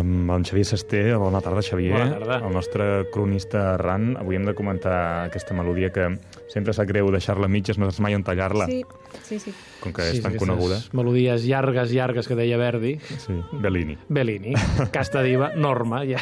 amb en Xavier Sesté. Bona tarda, Xavier. Bona tarda. El nostre cronista errant. Avui hem de comentar aquesta melodia que sempre sap greu deixar-la a mitges, no saps mai on tallar-la. Sí. Com que és tan coneguda. Melodies llargues que deia Verdi. Sí, Bellini. Casta diva, Norma, ja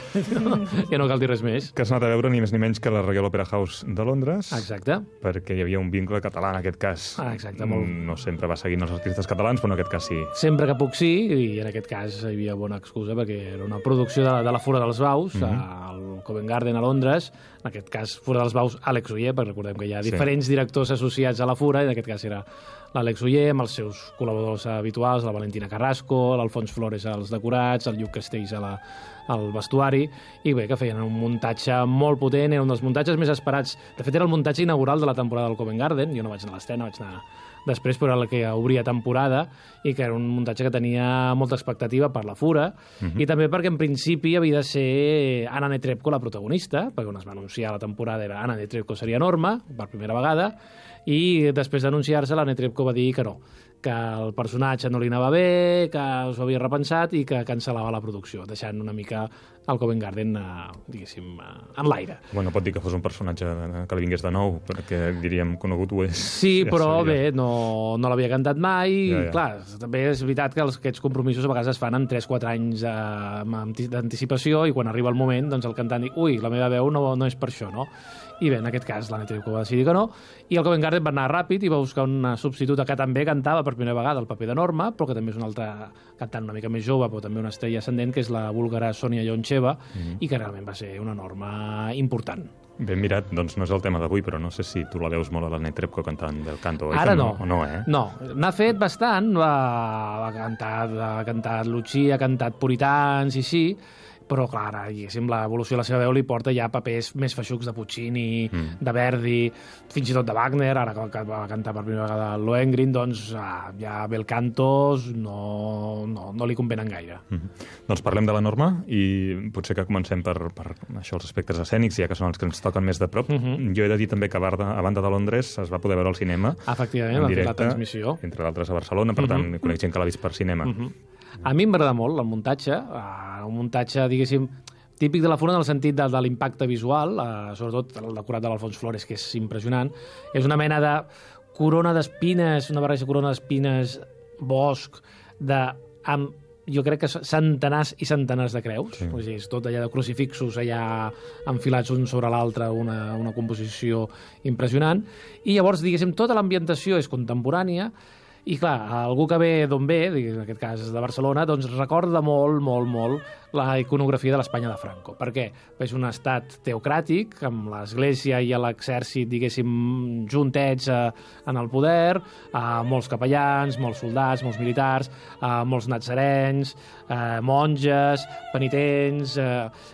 no cal dir res més. Que has anat a veure ni més ni menys que la Royal Opera House de Londres. Exacte. Perquè hi havia un vincle català en aquest cas. Exacte, molt. No sempre va seguint els artistes catalans, però en aquest cas sí. Sempre que puc sí, i en aquest cas hi havia bona excusa, perquè era una producció de la Fura dels Baus, al Covent Garden a Londres, en aquest cas Fura dels Baus, Àlex Oller, perquè recordem que hi ha diferents directors associats a la Fura, i en aquest cas era l'Àlex Oller, amb els seus col·laboradors habituals, la Valentina Carrasco, l'Alfons Flores als decorats, el Lluc Castells al vestuari, i bé, que feien un muntatge molt potent, era un dels muntatges més esperats. De fet, era el muntatge inaugural de la temporada del Covent Garden, jo no vaig anar a l'estrena, vaig anar després, però era el que obria temporada, i que era un muntatge que tenia molta expectativa per la Fura, i també perquè en principi havia de ser Anna Netrebko la protagonista, perquè on es va anunciar la temporada era Anna Netrebko seria Norma, per primera vegada, i després d'anunciar-se la Netrebko va dir que no, que el personatge no li anava bé, que s'ho havia repensat i que cancel·lava la producció, deixant una mica el Covent Garden, diguéssim, en l'aire. Bueno, pot dir que fos un personatge que li vingués de nou, perquè diríem conegut ho és. Sí, però bé, no l'havia cantat mai. Ja. Clar, també és veritat que aquests compromisos a vegades es fan amb 3-4 anys d'anticipació, i quan arriba el moment, doncs el cantant diu, ui, la meva veu no és per això, no? I bé, en aquest cas la Netrebko va decidir que no, i el Covent Garden va anar ràpid i va buscar una substituta que també cantava per primera vegada el paper de Norma, però que també és una altra cantant una mica més jove, però també una estrella ascendent, que és la búlgara Sonia Yoncheva, i que realment va ser una Norma important. Ben mirat, doncs no és el tema d'avui, però no sé si tu la veus molt a la Netrebko cantant Bel Canto. Ara no. O no, eh? No, n'ha fet bastant, ha cantat Lucía, ha cantat Puritans i sí, però, clar, diguéssim, l'evolució de la seva veu li porta ja papers més feixucs de Puccini, de Verdi, fins i tot de Wagner, ara que va cantar per primera vegada el Lohengrin, doncs ja Bel Cantos no li convenen gaire. Doncs parlem de la Norma, i potser que comencem per això, els aspectes escènics, ja que són els que ens toquen més de prop. Jo he de dir també que a banda de Londres es va poder veure al cinema. Efectivament, va fer la transmissió. Entre d'altres a Barcelona, per tant, conec gent que l'ha vist per cinema. A mi m'agrada molt el muntatge, un muntatge, diguéssim, típic de la Fura en el sentit de l'impacte visual, sobretot el decorat de l'Alfons Flores, que és impressionant. És una mena de corona d'espines, una barreja corona d'espines, bosc, amb, jo crec que centenars i centenars de creus. Sí. O sigui, és tot allà de crucifixos allà enfilats un sobre l'altre, una composició impressionant. I llavors, diguéssim, tota l'ambientació és contemporània, i clar, algú que ve d'on ve, en aquest cas de Barcelona, doncs recorda molt la iconografia de l'Espanya de Franco. Per què? És un estat teocràtic, amb l'Església i l'exèrcit, diguéssim, juntets en el poder, molts capellans, molts soldats, molts militars, molts natzarens, monges, penitents...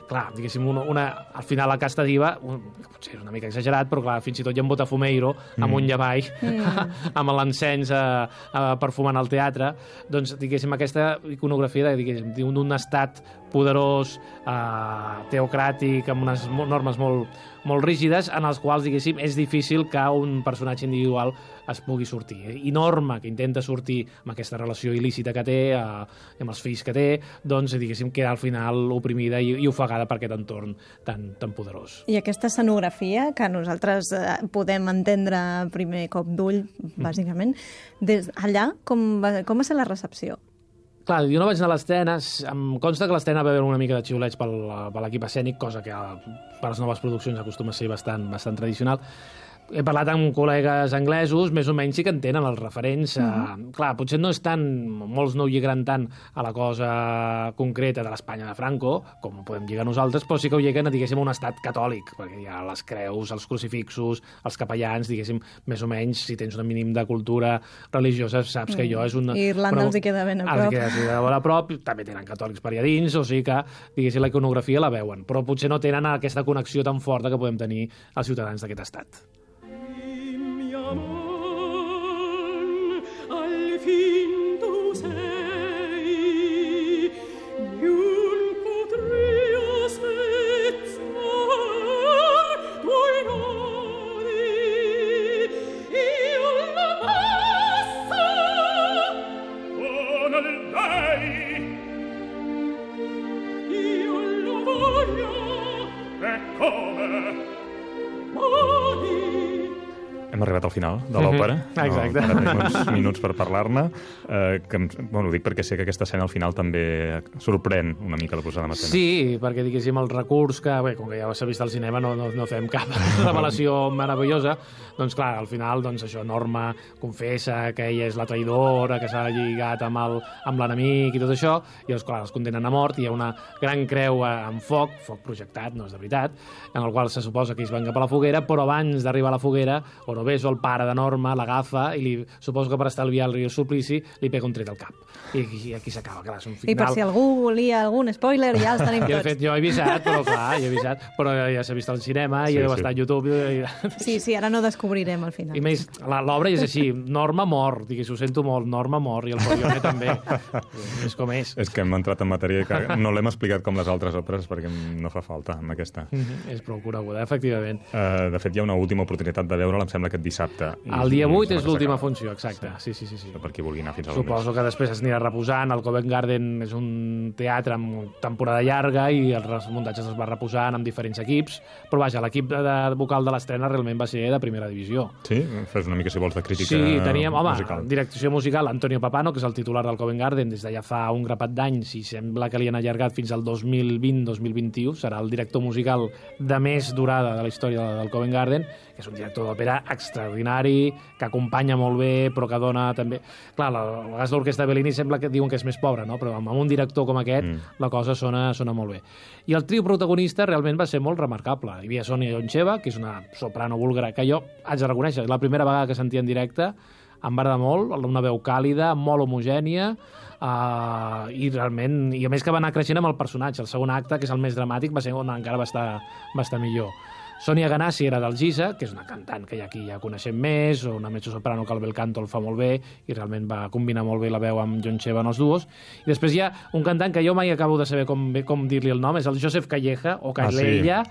Clar, diguéssim, al final la casta diva, que potser és una mica exagerat, però clar, fins i tot hi ha un Botafumeiro amb un llavall, amb l'encens perfumant el teatre. Doncs, diguéssim, aquesta iconografia d'un estat poderós, teocràtic, amb unes normes molt rígides, en els quals, diguéssim, és difícil que un personatge individual es pugui sortir. I Norma, que intenta sortir amb aquesta relació il·lícita que té, amb els fills que té, doncs, diguéssim, queda al final oprimida i ofegada per aquest entorn tan poderós. I aquesta escenografia, que nosaltres podem entendre a primer cop d'ull, bàsicament, des allà, com va ser la recepció? Clar, jo no vaig anar a l'estrena, em consta que l'estrena va haver una mica de xiulets per l'equip escènic, cosa que per les noves produccions acostuma a ser bastant tradicional. He parlat amb col·legues anglesos, més o menys sí que entenen els referents. Clar, potser no és tant, molts no ho lliguen tant a la cosa concreta de l'Espanya de Franco, com ho podem lligar nosaltres, però sí que ho lliguen, diguéssim, a un estat catòlic, perquè hi ha les creus, els crucifixos, els capellans, diguéssim, més o menys, si tens un mínim de cultura religiosa, saps que allò és una... Irlanda els hi queda ben a prop. Els hi queda ben a prop, també tenen catòlics per allà dins, o sigui que, diguéssim, la iconografia la veuen, però potser no tenen aquesta connexió tan forta que podem tenir els ciutadans d'aquest estat. Al fin tu sei, non potrei spezzar tuoi nodi, io la passa con lei. Hem arribat al final de l'òpera. Exacte. Ara tenim uns minuts per parlar-ne. Ho dic perquè sé que aquesta escena al final també sorprèn una mica la posada en escena. Sí, perquè diguéssim el recurs que, bé, com que ja s'ha vist al cinema, no fem cap revelació meravellosa, doncs clar, al final, doncs això, Norma confessa que ella és la traïdora, que s'ha lligat amb l'enemic i tot això, i doncs clar, els condemnen a mort, i hi ha una gran creu amb foc projectat, no és de veritat, en el qual se suposa que ells van cap a la foguera, però abans d'arribar a la foguera, Orobeso, el pare de Norma, l'agafa i suposo que per estalviar el suplici li pega un tret al cap. I aquí s'acaba, clar, és un final... I per si algú volia algun spoiler, ja els tenim I de tots. fet, jo he avisat, però clar, però ja s'ha vist al cinema, i deu estar a YouTube. Sí, ara no descobrirem al final. I més, l'obra és així, Norma mor, digués, ho sento molt, Norma mor, i el Polione també. És com és. És que hem entrat en matèria que no l'hem explicat com les altres òperes perquè no fa falta amb aquesta. És prou coneguda, efectivament. De fet, hi ha una última oportunitat de veure-la, em sembla, aquest dissabte. El dia 8 és l'última funció, exacte. Sí. Per qui vulgui anar fins a Suposo que després es anirà reposant. El Covent Garden és un teatre amb temporada llarga i els muntatges es va reposant amb diferents equips, però vaja, l'equip vocal de l'estrena realment va ser de primera divisió. Sí? Fes una mica, si vols, de crítica Sí, teníem, musical. direcció musical, Antonio Papano, que és el titular del Covent Garden des de ja fa un grapat d'anys, i sembla que li han allargat fins al 2020-2021. Serà el director musical de més durada de la història del Covent Garden, que és un director d'òpera extraordinari, que acompanya molt bé, però que dona també... Clar, a vegades l'orquestra de Bellini sembla que diuen que és més pobra, no? Però amb un director com aquest la cosa sona molt bé. I el trio protagonista realment va ser molt remarcable. Hi havia Sonia Yoncheva, que és una soprano búlgara, que jo haig de reconèixer, la primera vegada que sentia en directe em va agradar molt, una veu càlida, molt homogènia, i realment, i a més que va anar creixent amb el personatge. El segon acte, que és el més dramàtic, va ser on encara va estar millor. Sonia Ganassi era del Gisa, que és una cantant que aquí ja coneixem més, o una mezzosoprano que el bel canto el fa molt bé, i realment va combinar molt bé la veu amb Yoncheva en els duos. I després hi ha un cantant que jo mai acabo de saber com dir-li el nom, és el Joseph Calleja, o Calella,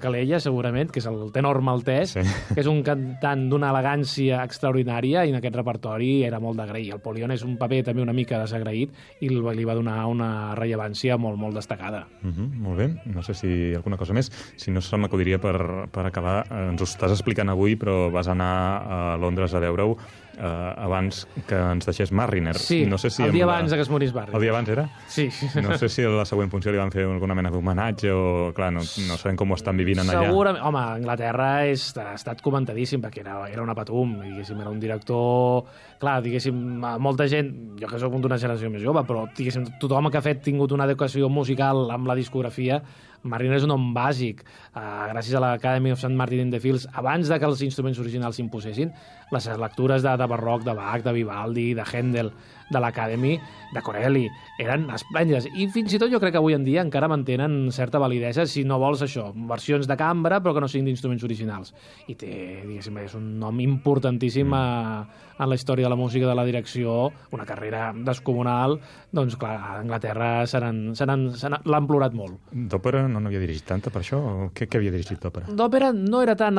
Calella, segurament, que és el tenor maltès, que és un cantant d'una elegància extraordinària, i en aquest repertori era molt d'agrair. El Polione és un paper també una mica desagraït, i li va donar una rellevància molt, molt destacada. Molt bé, no sé si hi ha alguna cosa més. Si no, se m'acudiria per acabar. Ens ho estàs explicant avui, però vas anar a Londres a veure-ho abans que ens deixés Marriner. Sí, no sé si el dia abans que es morís Marriner. El dia abans era? Sí. No sé si a la següent funció li van fer alguna mena d'homenatge o, clar, no sabem com ho estan vivint allà. Segurament, home, Anglaterra ha estat comentadíssim perquè era una patum, diguéssim, era un director... Clar, diguéssim, molta gent, jo que soc d'una generació més jove, però diguéssim, tothom que ha tingut una educació musical amb la discografia, Marriner és un nom bàsic. Gràcies a l'Academy of St. Martin in the Fields, abans de que els instruments originals s'imposessin, les lectures de Barroc, de Bach, de Vivaldi, de Händel, de l'Academy, de Corelli, eren esplèndides. I fins i tot jo crec que avui en dia encara mantenen certa validesa, si no vols això, versions de cambra però que no siguin d'instruments originals. I té, diguéssim, és un nom importantíssim en la història de la música, de la direcció, una carrera descomunal. Doncs clar, a Anglaterra l'han plorat molt. D'òpera no n'havia dirigit tanta per això? O què havia dirigit d'òpera? D'òpera no era tant...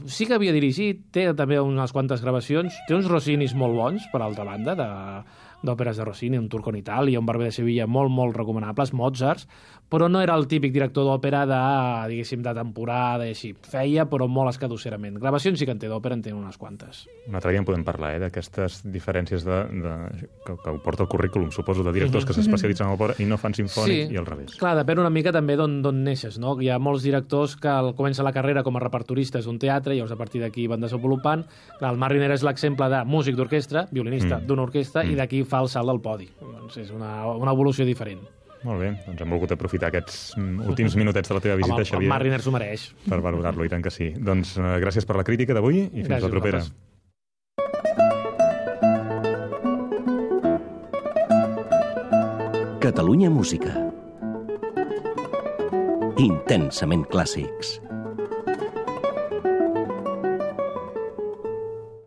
Sí que havia dirigit, té també unes quantes gravacions, té uns Rossinis molt bons, per altra banda, d'òperes de Rossini, un Turco en Itàlia, un Barber de Sevilla molt, molt recomanables, Mozart, però no era el típic director d'òpera diguéssim, de temporada i així. Feia, però molt escadusserament. Gravacions sí que en té d'òpera, en té unes quantes. Un altre dia en podem parlar, d'aquestes diferències que ho porta el currículum, suposo, de directors que s'especialitzen en l'òpera i no fan simfònic i al revés. Clar, depèn una mica també d'on neixes, no? Hi ha molts directors que comencen la carrera com a repertoristes d'un teatre i llavors a partir d'aquí van desenvolupant. Clar, el Marriner és l'exemple de músic d'orquestra, violinista d'una orquestra, i d'aquí fa el salt del podi. Doncs és una evolució diferent. Molt bé, doncs hem volgut aprofitar aquests últims minutets de la teva visita, Xavier. El Marriner s'ho mereix. Per valorar-lo, i tant que sí. Doncs gràcies per la crítica d'avui i fins la propera. Catalunya Música. Intensament clàssics.